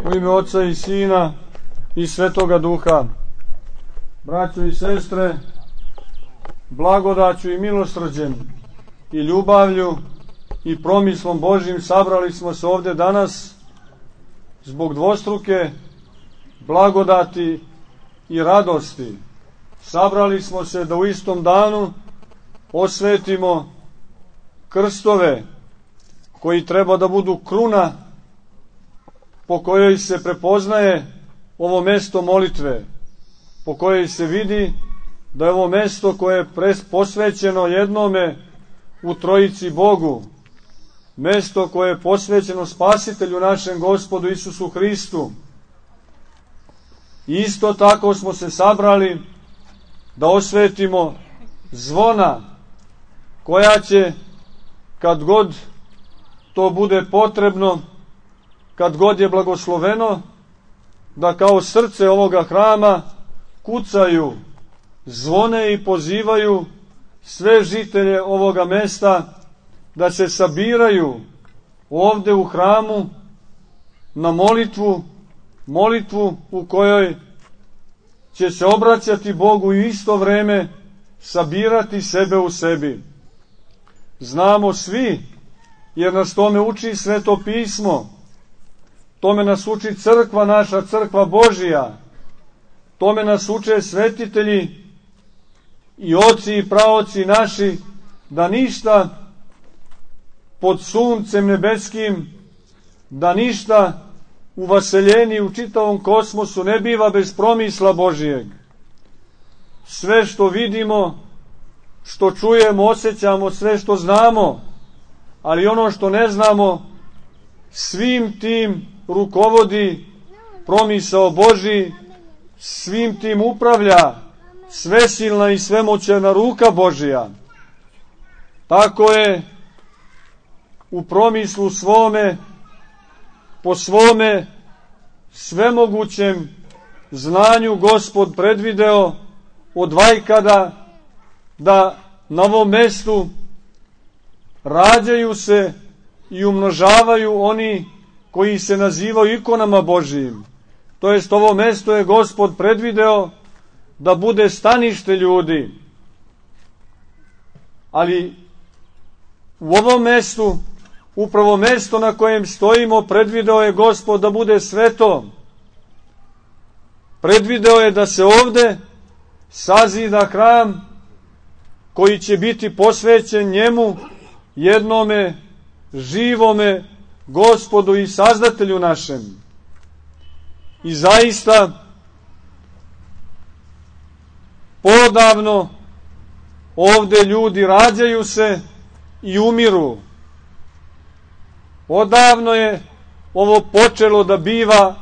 U ime Oca i Sina i Svetoga Duha. Braćo i sestre, blagodaću i milosrđem i ljubavlju i promislom Božjim sabrali smo se ovde danas zbog dvostruke blagodati i radosti. Sabrali smo se da u istom danu osvetimo krstove koji treba da budu kruna po kojoj se prepoznaje ovo mesto molitve, po kojoj se vidi da je ovo mesto koje je posvećeno jednome u Trojici Bogu, mesto koje je posvećeno Spasitelju našem Gospodu Isusu Hristu. Isto tako smo se sabrali da osvetimo zvona koja će, kad god to bude potrebno, kad god je blagosloveno, da kao srce ovoga hrama kucaju, zvone i pozivaju sve žitelje ovoga mesta da se sabiraju ovde u hramu na molitvu u kojoj će se obraćati Bogu i isto vreme sabirati sebe u sebi. Znamo svi, jer nas tome uči Sveto pismo, tome nas uči crkva naša, crkva Božija, tome nas uče svetitelji i oci i praoci naši, da ništa pod suncem nebeskim, da ništa u vaseljeni u čitavom kosmosu ne biva bez promisla Božijeg. Sve što vidimo, što čujemo, osjećamo, sve što znamo, ali ono što ne znamo, svim tim rukovodi promisao Božji, svim tim upravlja svesilna i svemoćna ruka Božija. Tako je u promislu svome, po svome svemogućem znanju Gospod predvideo od vajkada da na ovom mestu rađaju se i umnožavaju oni koji se nazivaju ikonama Božijim. To jest, ovo mesto je Gospod predvideo da bude stanište ljudi. Ali u ovom mestu, upravo mesto na kojem stojimo, predvideo je Gospod da bude sveto. Predvideo je da se ovde sazida hram koji će biti posvećen njemu, jednome živome Gospodu i Sazdatelju našem. I zaista podavno ovde ljudi rađaju se i umiru. Odavno je ovo počelo da biva